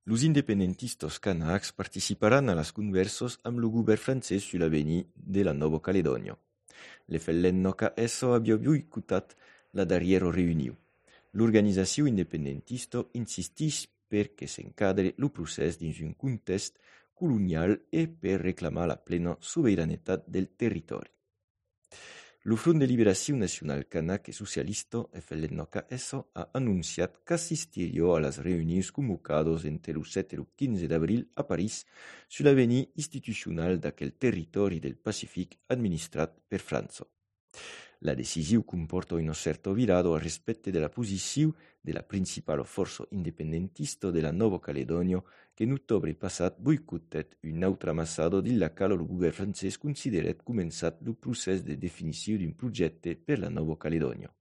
Los independentistas kanaks participaran a las conversos amb lo govern francès sur l'avenir de la Nova Caledònia. Le Fellennoca esso abbia boicotat la darriera reunió. L'organització independentista insisteix perquè s'encadre lo procés dins un context colonial e per reclamar la plena soberanitat del territori. Lo Front de Liberació Nacional Kanak e Socialista FLNK esso ha annunciat qu'assistiria a las reunions convocades entre lo 7 e lo 15 d'abril a París sur l'avenir institucional d'aquel territori del Pacific administrat per França. La decisió comporta una certa virada al respecte de la posició de la principal força independentista de la Nova Caledònia que en octubre passat boicotet una altra ambassada dins la qual el govern francès consideret començat el procés de definició d'un projecte per la Nova Caledònia.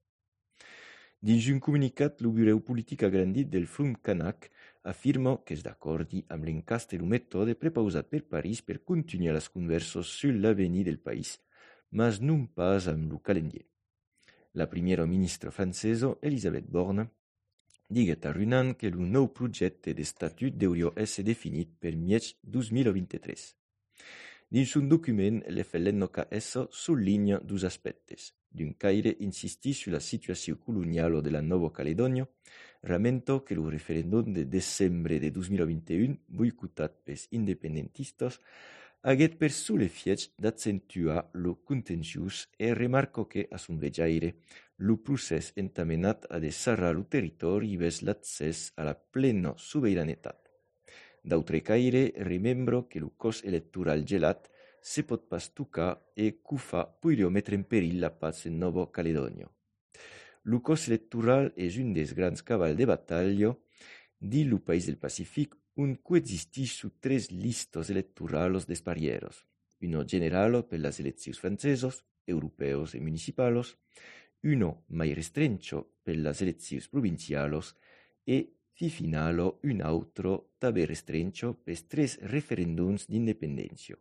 Dins un comunicat, el Bureau Polític agrandit del Front Kanak afirma que és d'acord amb l'encast i el mètode prepausat per París per continuar les converses sur l'avenir del país, mas non pas amb lo calendrier. La primera ministra francesa, Elisabeth Borne, diguet a Runan que el nou projecte d'estatut deuria ésser definit per mièg 2023. Dins un document, l'FLNKS souligne dos aspectes. D'un caire insistís sur la situació colonial de la Nova Caledònia, ramenta que el referèndum de desembre de 2021, boicotat pels independentistes, haguet per l'effièch d'accentuar lo contenciós e remarca que, a son vejaire, lo procès entamenat a desarrar lo territori vers l'accès a la plena soberanitat. D'autre caire, remembra que lo cos electoral gelat se pot pas tocar e qu'ho fa podria metre en perill la paz en Nova Caledònia. Lo cos electoral és un des grans cavals de batalha dins lo país del Pacific on coexistixen tres listas electorales desparieras, una generale per las eleccions francesas, europeos e municipales, una mai restrencha per las eleccions provinciales e, fi finale, un'altra també restrencha per tres referèndums d'independència.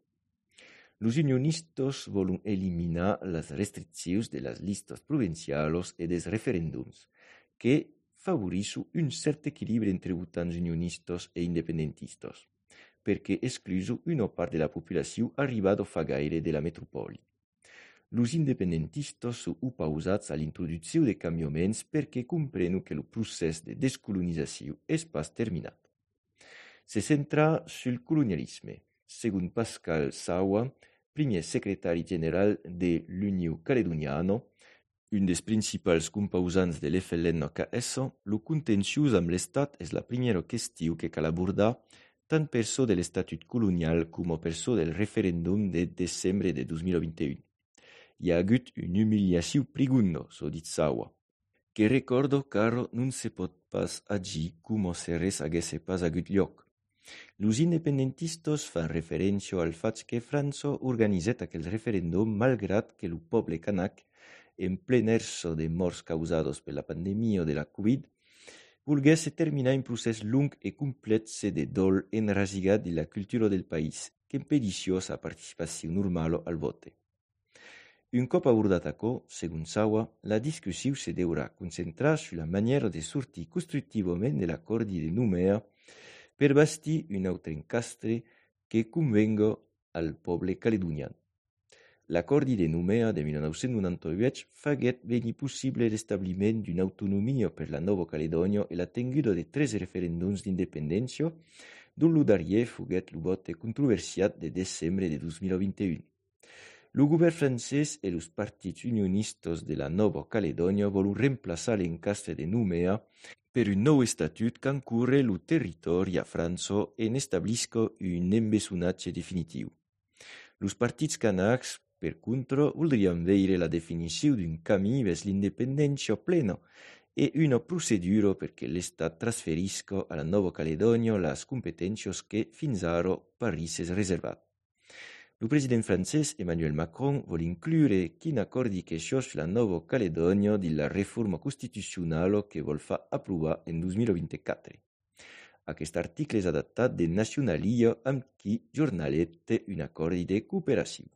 Los unionistas volen eliminar las restriccions de las listas provinciales e des referèndums, que favorisce un cert equilibri entre votants unionistes e independentistes, perquè excluso una part de la població arribada fa gaire de la metropoli. Los independentistes són opausats a l'introducció de canviaments perquè comprenen que el procés de descolonització és pas terminat. Se centra sul colonialisme, segons Pascal Sawa, primer secretari general de l'Unió Caledoniana, un dels principals composants de l'FLNKS, lo contenciós amb l'Estat és la primera qüestió que cal abordar tant per so de l'estatut colonial com per so del referèndum de desembre de 2021. Hi ha hagut una humiliació profunda, so dit Sawa, que recorda qu'ara non se pot pas agir com si res hagués pas hagut lloc. Los independentistes fan referència al fet que França organitzat aquell referèndum malgrat que el poble kanak, en ple erso de morts causades per la pandèmia de la Covid, volgués terminar un procés long e complex de dol enrasigat de la cultura del país, que impedissió sa participació normal al vote. Un cop abordat açò, segons Sawa, la discussió se deurà concentrar sur la maniera de sortir constructivament de l'acord de Nouméa per bastir un altre encastre que convenga al poble caledonian. L'acord de Nouméa de 1998 faguet venir possible l'establiment d'una autonomia per la Nova Caledònia e la tenguda de tres referèndums d'independència, dont lo darrier foguet lo vote controversiat de desembre de 2021. El govern francès e els partits unionistes de la Nova Caledònia volen reemplaçar l'encastre de Nouméa per un nou estatut qu'encurre el territori a França e n'establisca un embessonatge definitiu. Els partits kanaks, per contra, voldrien veure la definició d'un camí vers l'independència plena e una procedura perquè l'Estat transferisca a la Nova Caledònia les competències que fins ara París és reservat. El president francès Emmanuel Macron vol inclure quin acordi que això sur la Nova Caledònia de la reforma constitucional que vol fer aprovar en 2024. Aquest article és adaptat de Nacionalia amb qui jornalet un acord de cooperació.